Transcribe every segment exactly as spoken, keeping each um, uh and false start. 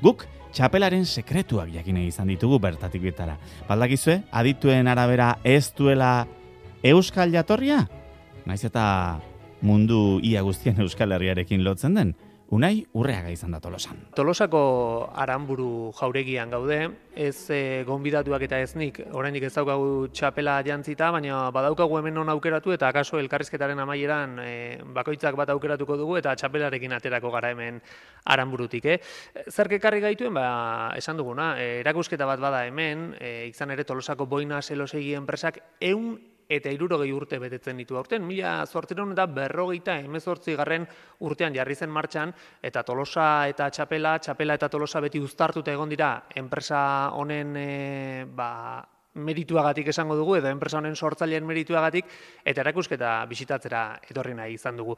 Guk txapelaren sekretuak jakine izan ditugu bertatik bitara. Baldakizue, adituen arabera ez duela euskal jatorria? Naiz eta mundu ia guztien Euskal Herriarekin lotzen den, Unai Urreaga izan da Tolosan. Tolosako Aranburu jauregian gaude, ez e, gonbidatuak eta ez nik, oraindik ez daukagu txapela jantzita, baina badaukagu hemen non aukeratu eta akaso elkarrizketaren amaieran e, bakoitzak bat aukeratuko dugu eta txapelarekin aterako gara hemen Aranburutik. Eh? Zerk ekarri gaituen, ba, esan duguna, e, erakusketa bat bada hemen, e, izan ere Tolosako Boina Zelosegi enpresak ehun eta hirurogei urte betetzen ditu aurten, mila zortziehun eta berrogeita hemezortzi garren urtean jarri zen martxan, eta Tolosa eta Txapela, Txapela eta Tolosa beti uztartuta egon dira enpresa honen e, ba, merituagatik esango dugu, edo enpresa honen sortzaileen merituagatik, eta erakusketa bisitatzera etorri nahi izan dugu.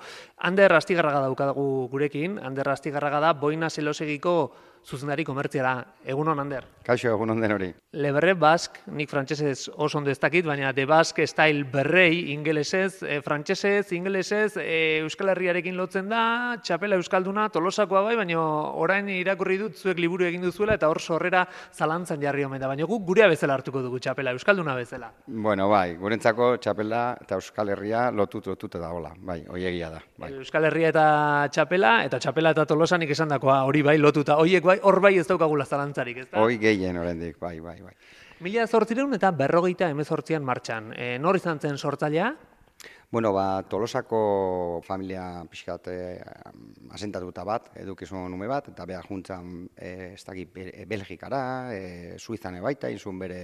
Ander Astigarraga daukagu gurekin, Ander Astigarraga da Boina Zelosegiko zuzendari komertziala. Egunon, Ander. Kaixo, egunon den hori. Le Berre Basque, nik frantsesez oso ondo ez dakit, baina The Basque Style berrei, ingelesez, e, frantsesez, ingelesez, e, Euskal Herriarekin lotzen da, txapela euskalduna, Tolosakoa bai, baina orain irakurri dut zuek liburu egin duzuela eta hor sorrera zalantzan jarri omen da, baina guk gurea bezala hartuko dugu txapela, euskalduna bezala. Bueno, bai, gurentzako txapela eta Euskal Herria lotut lotuta dagoela, bai, hoiegia da. Bai. Euskal Herria eta txapela, eta txapela eta Tolosanik esandakoa hori bai lotuta, horiek bai, hor bai ez daukagula zalantzarik, ez da? Hoi gehien oraindik, bai, bai, bai. Mila zortziehun eta berrogeita hemezortzian martxan. E, nor izan zen sortzailea? Bueno, ba, Tolosako familia pixkat eh, asentatuta bat, edukizun ume bat, eta beha juntzan, eh, ez dakit, Belgikara, eh, Suizan ebaita, inzun bere,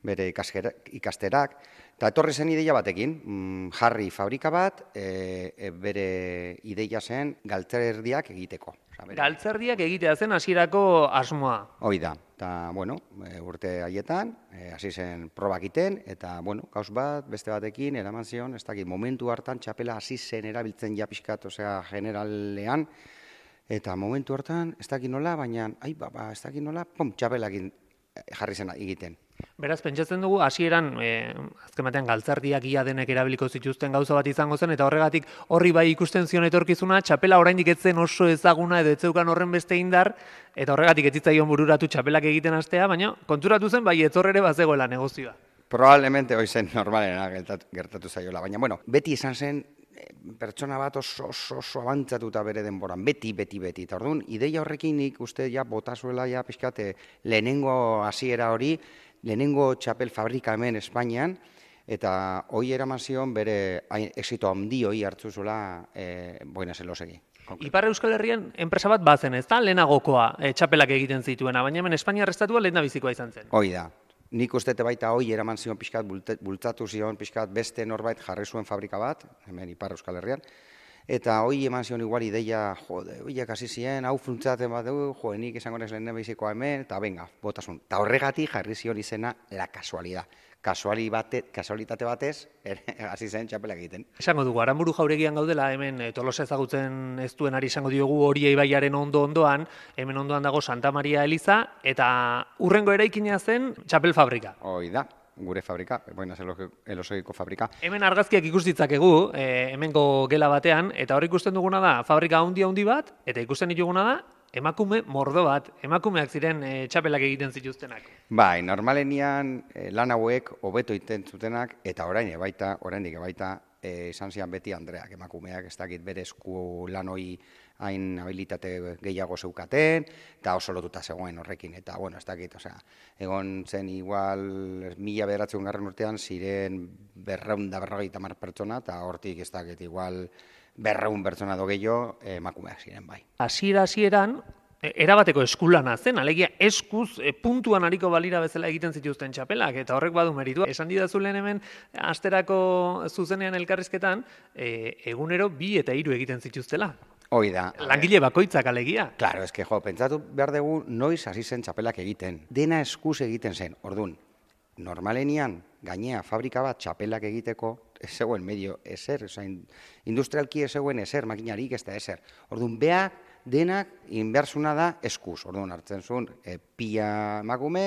bere ikasterak, eta etorri zen ideia batekin, mm, jarri fabrika bat, e, e, bere ideia zen galtzerdiak egiteko. Bere... Galtzerdiak egitea zen hasierako asmoa. Hoi da, eta, bueno, e, urte haietan, e, hasi zen probak iten, eta, bueno, gauz bat, beste batekin, eraman zion, ez dakit, momentu hartan txapela hasi zen erabiltzen ja pixkat, osea, generalean, eta momentu hartan, ez dakit nola, baina, ai, ba, ba, ez dakit nola, pom, txapelakin jarri zen egiten. Beraz, pentsatzen dugu, hasieran e, azken batean galtzerdiak ia denek erabiliko zituzten gauza bat izango zen, eta horregatik horri bai ikusten zion etorkizuna, txapela oraindik ez zen oso ezaguna edo ez zeukan horren beste indar, eta horregatik ez zitzaion bururatu txapelak egiten hastea, baina konturatu zen bai etorrere bazegoela negozioa. Probablemente hoi zen normalena gertatu zaiola, baina bueno, beti izan zen pertsona bat oso, oso, oso abantzatuta bere denboran, beti, beti, beti. Eta orduan, ideia horrekin nik uste ja botazuela ja pixkate lehenengo hasiera hori, lehenengo txapel fabrika hemen Espainian, eta hoi eraman zion bere exito handi hoi hartzu zuela e, Boina Zelosegi. Ipar Euskal Herrian enpresa bat bazen, ez da? Lehenagokoa e, txapelak egiten zituena, baina hemen Espainiar estatua lehendabizikoa izan zen. Hoi da. Nik ustete baita hoi eraman zion pixkat, bultzatu zion pixkat beste norbait jarri zuen fabrika bat, hemen Ipar Euskal Herrian, eta hoi eman zion igual ideia, jode, hoiak hasi ziren, hau funtzaten bat dugu, jode, nik esango nez lehen bizikoa hemen, eta venga, botasun. Eta horregatik jarri zion izena la kasualidad. Kasualitate batez, hasi zen txapela egiten. Esango dugu, Aranburu jauregian gaudela, hemen Tolosa ezagutzen ez duen ari izango diogu hori ibaiaren ondo-ondoan, hemen ondoan dago Santa Maria Eliza, eta hurrengo eraikina zen txapel fabrika. Hoi da, gure fabrika, Boina Zelosegiko fabrika. Hemen argazkiak ikus ditzakegu, e, hemengo gela batean, eta hor ikusten duguna da, fabrika handi-handi bat, eta ikusten dituguna da, emakume mordo bat, emakumeak ziren e, txapelak egiten zituztenak. Bai, normalenian e, lan hauek hobeto iten zutenak, eta orain ebaita, oraindik ebaita, e, izan zian beti Andreak, emakumeak, ez dakit bere esku lan hoi hain habilitate gehiago zeukaten, eta oso lotuta zegoen horrekin, eta, bueno, ez dakit, osea, egon zen igual, mila bederatzen garren urtean, ziren berreun da berrogeita hamar pertsona, eta hortik ez dakit, igual, berreun pertsona do gehiago emakumeak ziren bai. Hasiera hasieran erabateko eskulana zen, alegia eskuz e, puntuan ariko balira bezala egiten zituzten txapelak, eta horrek badu meritua. Esan didazu lehen hemen, asterako zuzenean elkarrizketan, e, egunero bi eta hiru egiten zituztela. Hoi da. Langile bakoitzak alegia. Claro, eske jo, pentsatu behar dugu noiz hasi zen txapelak egiten. Dena eskuz egiten zen, ordun. Normalenian, gainea, fabrika bat txapelak egiteko, ez zegoen medio ezer, ozain, industrialki ez zegoen ezer, makinarik ez da ezer. Orduan, beha denak inbersuna da eskuz. Orduan, hartzen zuen, e, pila emakume,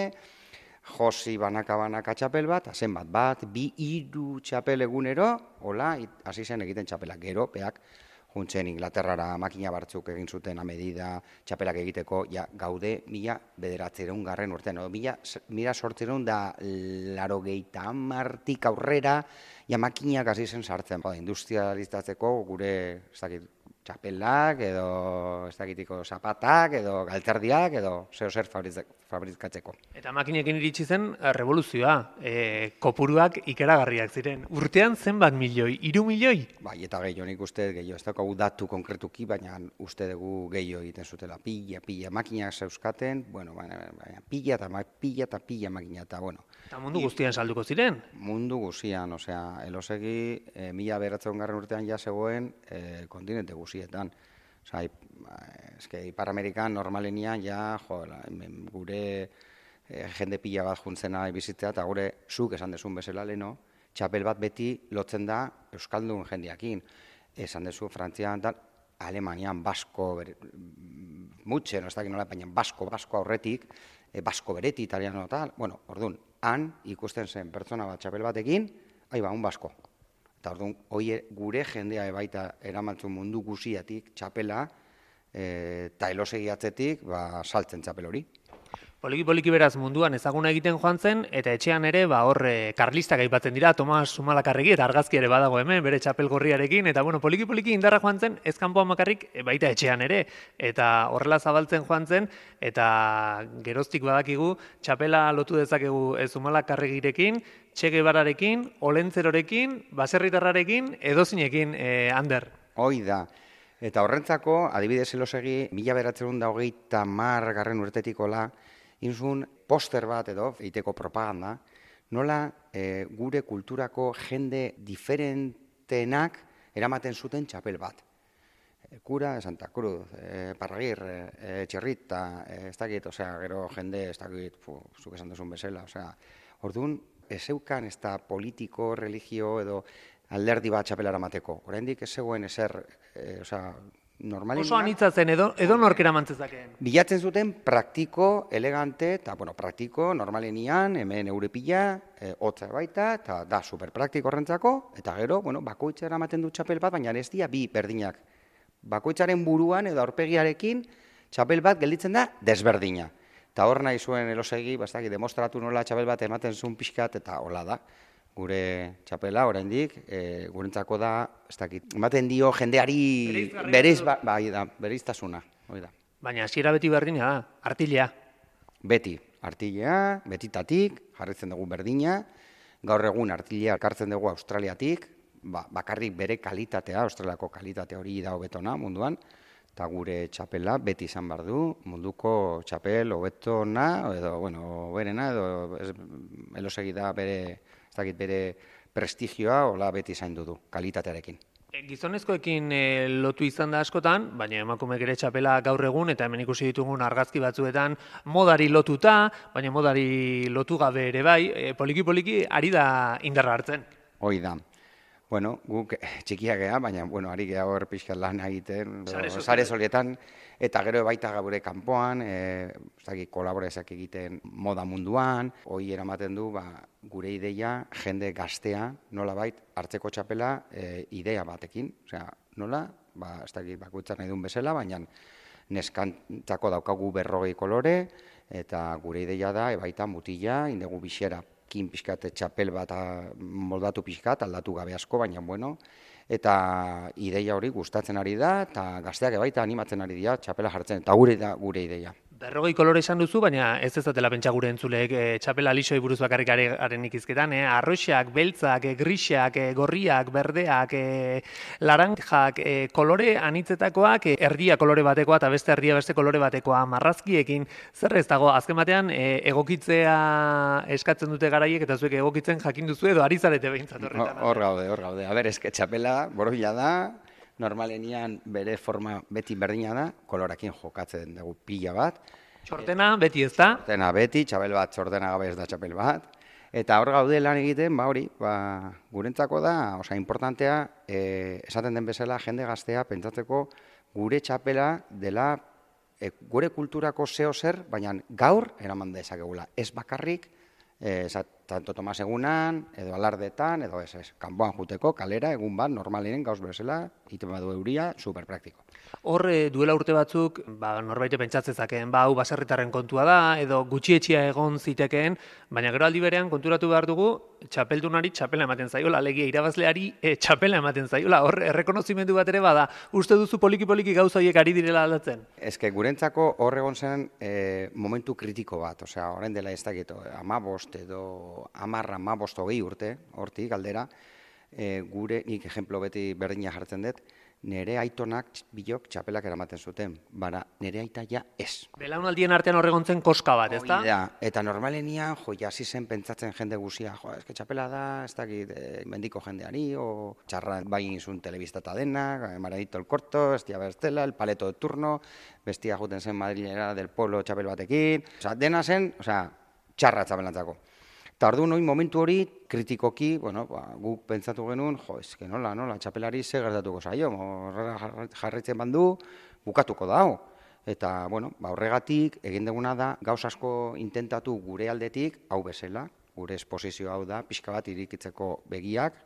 josi banaka-banaka txapel bat, azen bat bat, bi hiru txapel egunero, hola, hasi zen egiten txapelak. Gero, beak, juntzen Inglaterrara makina batzuk egin zuten a medida txapelak egiteko, ja, gaude mila bederatziehun garren urtean, no? mila, mila sortziehun da laurogeita hamartik aurrera, ja makinak hasi zen sartzen. Ba, industrializatzeko gure, ez dakit, txapelak, edo ez dakitiko zapatak, edo galtzerdiak, edo zeo zer fabrikatzeko. Eta makinekin iritsi zen revoluzioa, e, kopuruak ikeragarriak ziren. Urtean zenbat milioi, hiru milioi? Bai, eta gehiago, nik uste gehiago, ez daukagu datu konkretuki, baina uste dugu gehiago egiten zutela. Pila, pila, makinak zeuzkaten, bueno, baina, baina pila eta pila eta pila makina, eta bueno. Eta mundu guztian salduko ziren? Mundu guztian, osea, Elosegi e, mila beratzen garren urtean ja zegoen e, kontinente guztietan. Osea, eske Ipar Amerikan normalenian ja, jo, la, gure e, jende pila bat juntzena bizitzea, eta gure zuk esan dezun bezala leno, txapel bat beti lotzen da euskaldun jendeakin. Esan dezu Frantzian, dan, Alemanian, Basko, ber, mutxen, ez dakit nola, baina Basko, Basko aurretik, e, Basko bereti, italiano tal, bueno, orduan, han ikusten zen pertsona bat txapel batekin, aiba, un Basko. Eta orduan, hoi gure jendea baita eramantzun mundu guziatik txapela, eta Elosegi atzetik, ba, saltzen txapel hori. Poliki-poliki beraz munduan ezaguna egiten joan zen, eta etxean ere, ba, hor, karlistak aipatzen dira, Tomas Zumalakarregi, eta argazki ere badago hemen, bere txapel gorriarekin, eta bueno, poliki-poliki indarra joan zen, ez kanpoan bakarrik, baita etxean ere, eta horrela zabaltzen joan zen, eta geroztik badakigu, txapela lotu dezakegu Zumalakarregirekin, Che Guevararekin, Olentzerorekin, baserritarrarekin, edozinekin, eh, Ander. Hoi da. Eta horrentzako, adibidez Elosegi, mila beratzen da hogeita mar garren urtetikola, inzun poster bat edo, eiteko propaganda, nola e, gure kulturako jende diferentenak eramaten zuten txapel bat. E, Kura, Santa Cruz, e, Parragir, e, Txirrita, e, ez dakit, osea, gero jende, ez dakit, fu, zuk esan duzun bezala, osea, orduan, ez zeukan ez da politiko, religio edo alderdi bat txapelara mateko. Oraindik ez zegoen ezer, e, osea, normalien... Oso anitza zen, edo, edo norkera mantzezakeen. Bilatzen zuten praktiko, elegante, eta, bueno, praktiko, normalenian, hemen eurepila, e, hotza baita, eta da superpraktiko horrentzako, eta gero, bueno, bakoitzara ematen du txapel bat, baina ez dira bi berdinak. Bakoitzaren buruan edo aurpegiarekin txapel bat gelditzen da desberdina. Eta hor nahi zuen Elosegi, bastak, demostratu nola txapel bat ematen zuen pixkat, eta hola da. Gure txapela, oraindik, e, gurentzako da, ez dakit, ematen dio jendeari bereiz, ba, bai da, bereiztasuna, hori da. Baina hasiera beti berdina da, artilea. Beti, artilea, betitatik, jarritzen dugu berdina, gaur egun artilea kartzen dugu Australiatik, ba, bakarrik bere kalitatea, Australiako kalitatea hori da hobetona munduan, eta gure txapela beti izan behar du, munduko txapel hobetona, edo, bueno, berena, edo ez, Elosegi da bere... ez dakit bere prestigioa hola beti zaindu du, kalitatearekin. Gizonezkoekin e, lotu izan da askotan, baina emakumeek ere txapela gaur egun, eta hemen ikusi ditugun argazki batzuetan modari lotuta, baina modari lotu gabe ere bai, e, poliki-poliki ari da indarra hartzen. Hoi da. Bueno, guk txikiak gea, baina, bueno, ari gea hor pixka lan egiten, sare solietan, eta gero baita gure kanpoan, e, kolaborazioak egiten moda munduan, hoi eramaten du, ba, gure ideia, jende gaztea, nola bait, hartzeko txapela e, idea batekin. Osea, nola, ba, ez dakit bakoitzak nahi duen bezala, baina neskantzako daukagu berrogei kolore, eta gure ideia da, e, baita mutila, indegu bixera, kin pixkat txapel bat moldatu pixkat, aldatu gabe asko, baina bueno, eta ideia hori gustatzen ari da, eta gazteak baita animatzen ari dira txapela jartzen, eta gure da gure ideia. Berrogei kolore esan duzu, baina ez ezatela pentsa gure entzuleek e, txapela lixoi buruz bakarrik haren ikizketan, e, arroxak, beltzak, e, grixak, e, gorriak, berdeak, e, laranjak, e, kolore anitzetakoak, e, erdia kolore batekoa eta beste erdia beste kolore batekoa, marrazkiekin, zer ez dago, azken batean e, egokitzea eskatzen dute garaiek eta zuek egokitzen jakin duzu edo ari zarete behintzat horretan. Hor gaude, hor gaude. A ber, eske txapela borobila da, normalenian bere forma beti berdina da, kolorakin jokatzen dugu pila bat. Txortena beti ez da? Txortena beti, txapel bat txortena gabe ez da txapel bat. Eta hor gaude lan egiten, ba hori, ba, gurentzako da, osea, importantea, e, esaten den bezala, jende gaztea pentsatzeko gure txapela dela e, gure kulturako zeo zer, baina gaur eraman dezakegula. Ez bakarrik, e, esat, Santo Tomas egunan, edo alardetan, edo ez, ez. Kanpoan juteko, kalera, egun bat, normalinen, gauz bezala, iten badu euria, superpraktiko. Hor duela urte batzuk, ba, norbaite pentsatzezakeen, ba, hau baserritarren kontua da, edo gutxietxia egon zitekeen, baina gero aldi berean konturatu behar dugu, txapeldunari txapela ematen zaiola, alegia irabazleari e, txapela ematen zaiola, hor errekonozimendu bat ere bada, uste duzu poliki-poliki gauza horiek ari direla aldatzen? Ez que gurentzako hor egon zen e, momentu kritiko bat, osea, orain dela ez dakit, amabost edo amarra, amabost hogei urte, hortik aldera, e, gure, nik ejemplo beti berdina jartzen dut, nere aitonak bilok txapelak eramaten zuten, bara nere aita ja ez. Belaunaldien artean horregontzen koska bat, ez da? Da, eta normalenian, jo, jasi zen pentsatzen jende guzia, jo, eske txapela da, ez dakit, e, mendiko jendeari, o txarra bai izun telebistata denak, Maradito el Corto, Estia Berstela, el Paleto de Turno, bestia juten zen Madrilera del Polo txapel batekin, osea, dena zen, osea, txarra txapelantzako. Eta orduan, hori momentu hori, kritikoki, bueno, ba, guk pentsatu genuen, jo, eske nola, nola, txapelari ze gertatuko zaio, horrela jarraitzen bandu, bukatuko da, hau. Eta, bueno, ba, horregatik, egin duguna da, gauz asko intentatu gure aldetik, hau bezala, gure esposizio hau da, pixka bat irikitzeko begiak,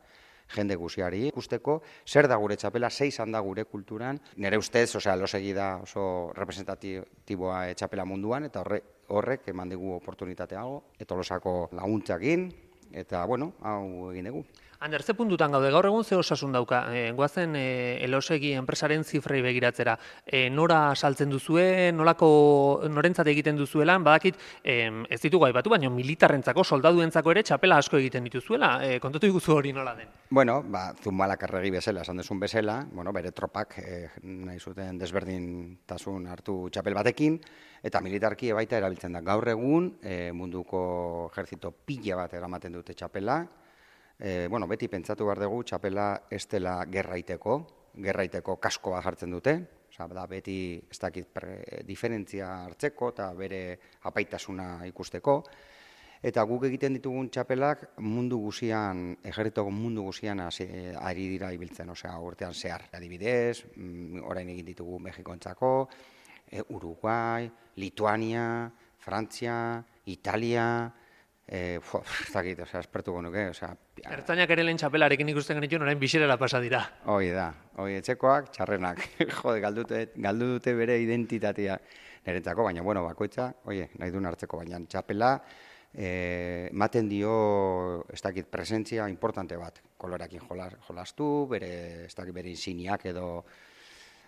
jende guziari ikusteko, zer da gure txapela, zei izan da gure kulturan, nire ustez, osea, losegi da oso representatiboa txapela munduan, eta horre, horrek eman dugu oportunitatea hau, eta Tolosako laguntzakin, eta, bueno, hau egin dugu. Ander, ze puntutan gaude, gaur egun ze osasun dauka, e, goazen e, elosegi enpresaren zifrei begiratzera, e, nora saltzen duzue, nolako, norentzat egiten duzuelan, badakit, e, ez ditugu aipatu, baina militarrentzako, soldaduentzako ere txapela asko egiten dituzuela, e, kontatu iguzu hori nola den? Bueno, ba, Zumalakarregi bezala, esan duzun bezala, bueno, bere tropak e, nahi zuten desberdintasun hartu txapel batekin, eta militarki baita erabiltzen da. Gaur egun e, munduko ejerzito pila bat eramaten dute txapela, E, bueno, beti pentsatu behar dugu txapela ez dela gerraiteko, gerraiteko kasko bat jartzen dute, oza, da beti ez dakit pre, diferentzia hartzeko eta bere apaitasuna ikusteko, eta guk egiten ditugun txapelak mundu guzian, ejerritoko mundu guzian ari dira ibiltzen, osea, urtean zehar. Adibidez, orain egin ditugu Mexikontzako, e, Uruguai, Lituania, Frantzia, Italia, Eh, ez dakit, osea, espertuko nuke, osea... Ertzainak ere lehen txapelarekin ikusten genituen, orain bisirera pasa dira. Hoi da, hoi etxekoak, txarrenak, jode, galdu dute bere identitatea niretzako, baina, bueno, bakoitza, oie, nahi duen hartzeko, baina txapela, ematen dio, ez dakit, presentzia importante bat, koloreakin jolastu, bere, ez dakit, bere insiniak edo...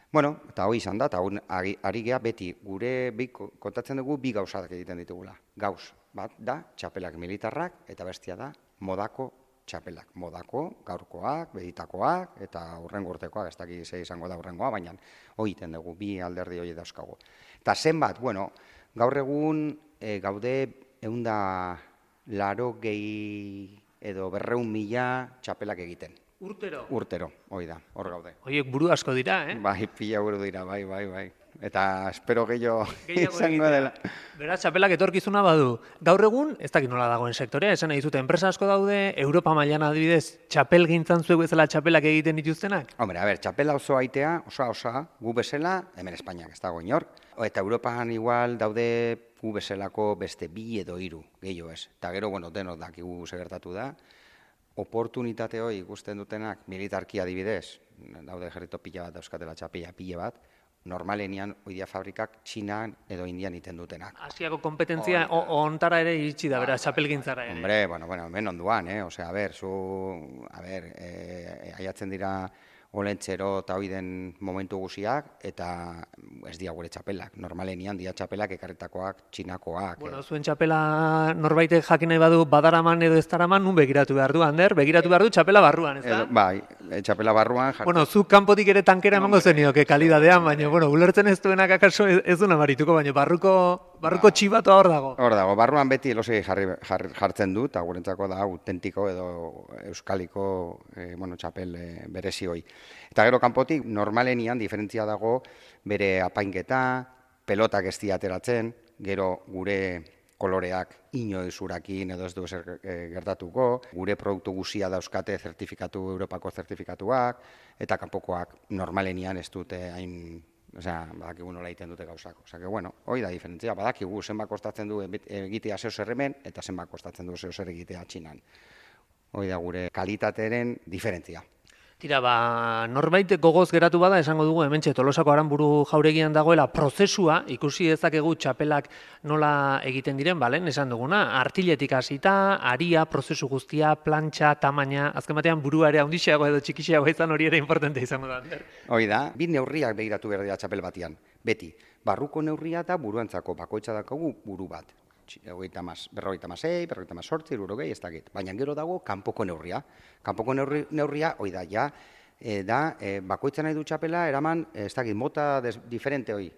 Bueno, eta hoi izan da, eta ari geha beti, gure kontatzen dugu bi gauzak egiten ditugula. Gauz, bat da, txapelak militarrak, eta bestia da, modako txapelak. Modako, gaurkoak, beditakoak, eta hurrengo urtekoak, ez dakit ze izango da hurrengoa, baina hoi egiten dugu, bi alderdi hori dauzkagu. Eta zenbat, bueno, gaur egun e, gaude eunda laro gehi edo berreun mila txapelak egiten. Urtero? Urtero, hoi da, hor gaude. Hoiek buru asko dira, eh? Bai, pila buru dira, bai, bai, bai. Eta espero gehiago izango dela. Beraz, txapelak etorkizuna badu. Gaur egun, ez dakit nola dagoen sektorea, esan nahi zute, enpresa asko daude, Europa mailan adibidez, txapel gintzan zuek bezala txapelak egiten dituztenak? Hombre, a ber, txapela oso aitea, osa, osa, gu bezala, hemen Espainiak ez dago inork, eta Europan igual daude gu bezalako beste bi edo hiru, gehiago ez. Eta gero, bueno, denok dakigu segertatu da, oportunitate hori ikusten dutenak militarki adibidez, daude ejerrito pila bat dauzkatela txapela pila bat, normalenian oidia fabrikak Txinan edo Indian iten dutenak. Asiako kompetentzia ontara ere iritsi da, bera, txapelgintzara ere. Hombre, bueno, bueno, hemen onduan, eh? Osea, a ber, zu, a ber, eh, aiatzen dira olentzero eta hoi den momentu guziak, eta ez dia gure txapelak. Normalenian dia txapelak ekarritakoak, txinakoak. Bueno, zuen txapela norbaitek jakin nahi badu badaraman edo ez daraman, nun begiratu behar du, Ander? Begiratu behar du txapela barruan, ez da? Bai, txapela barruan. Bueno, zu kanpotik ere tankera emango zenioke kalidadean, baina, bueno, ulertzen ez duenak akaso ez du namarituko, baina barruko, barruko txibatoa hor dago. Hor dago, barruan beti elosegi jartzen du, eta gurentzako da autentiko edo euskaliko bueno, txapel berezi hoi. Eta gero kanpotik, normalenian diferentzia dago bere apainketa, pelotak ez ateratzen, gero gure koloreak inoiz urakin edo ez du ezer gertatuko, gure produktu guzia dauzkate zertifikatu, Europako zertifikatuak, eta kanpokoak normalenian ez dute hain Osea, badakigu nola egiten dute gauzak. Osea, que bueno, hoi da diferentzia, badakigu zenbat kostatzen du egitea zeo zer hemen, eta zenbat kostatzen du zeo zer egitea Txinan. Hoi da gure kalitatearen diferentzia. Tira, ba, norbait gogoz geratu bada, esango dugu, hementxe Tolosako Aranburu jauregian dagoela prozesua, ikusi dezakegu txapelak nola egiten diren, balen, esan duguna, artiletik hasita, aria, prozesu guztia, plantxa, tamaina, azken batean burua ere handixeago edo txikixeago izan hori ere importante izango da. Hoi da, bi neurriak begiratu behar dira txapel batian, beti, barruko neurria eta buruantzako, bakoitza dakagu buru bat. Berrogeita masei, berrogeita masortzi, hirurogei, ez dakit. Baina gero dago kanpoko neurria. Kanpoko neurri, neurria, hoi da, ja, e, da, e, bakoitza nahi du txapela, eraman, ez dakit, mota des, diferente hoi.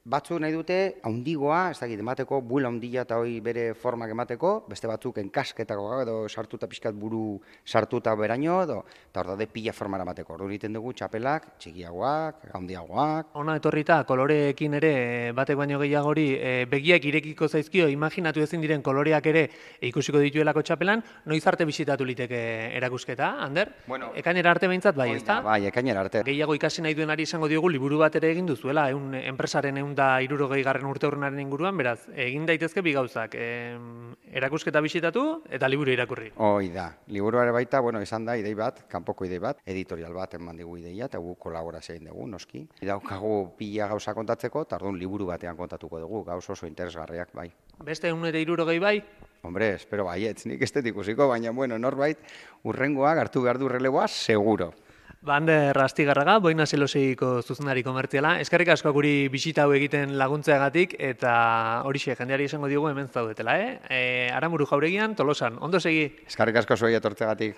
Batzuk nahi dute, haundigoa, ez dakit, emateko, buela haundila eta hoi bere formak emateko, beste batzuk enkasketako edo sartuta pixkat buru sartuta beraino, edo, eta hor da, pila formara emateko. Ordu egiten dugu txapelak, txikiagoak, haundiagoak. Ona etorrita, koloreekin ere, batek baino gehiagori, e, begiak irekiko zaizkio, imaginatu ezin diren koloreak ere ikusiko dituelako txapelan, noiz arte bisitatu liteke erakusketa, Ander? Bueno, ekainera arte behintzat, bai, ezta? Bai, ekainera arte. Gehiago ikasi nahi duenari izango diogu liburu bat ere egin duzuela, eun enpresaren eun da hirurogei garren urte urrenaren inguruan, beraz, egin daitezke bi gauzak, e, erakusketa bisitatu eta liburu irakurri. Hoi da, liburuare baita, bueno, izan da, idei bat, kanpoko idei bat, editorial bat eman digu ideia, eta gu kolaborazio egin dugu, noski. Daukagu pila gauza kontatzeko, eta orduan liburu batean kontatuko dugu, gauz oso interesgarriak, bai. Beste eun ere hirurogei bai? Hombre, espero baietz, nik ez dut ikusiko, baina, bueno, norbait, urrengoak hartu behar du releboa, seguro. Ander Astigarraga, Boina Zeloseiko zuzendari komertziala. Eskerrik asko guri bisita hau egiten laguntzeagatik eta horixe jendeari esango diogu hemen zaudetela, eh? E, Aranburu jauregian, Tolosan. Ondo segi. Eskerrik asko zuei etortzeagatik.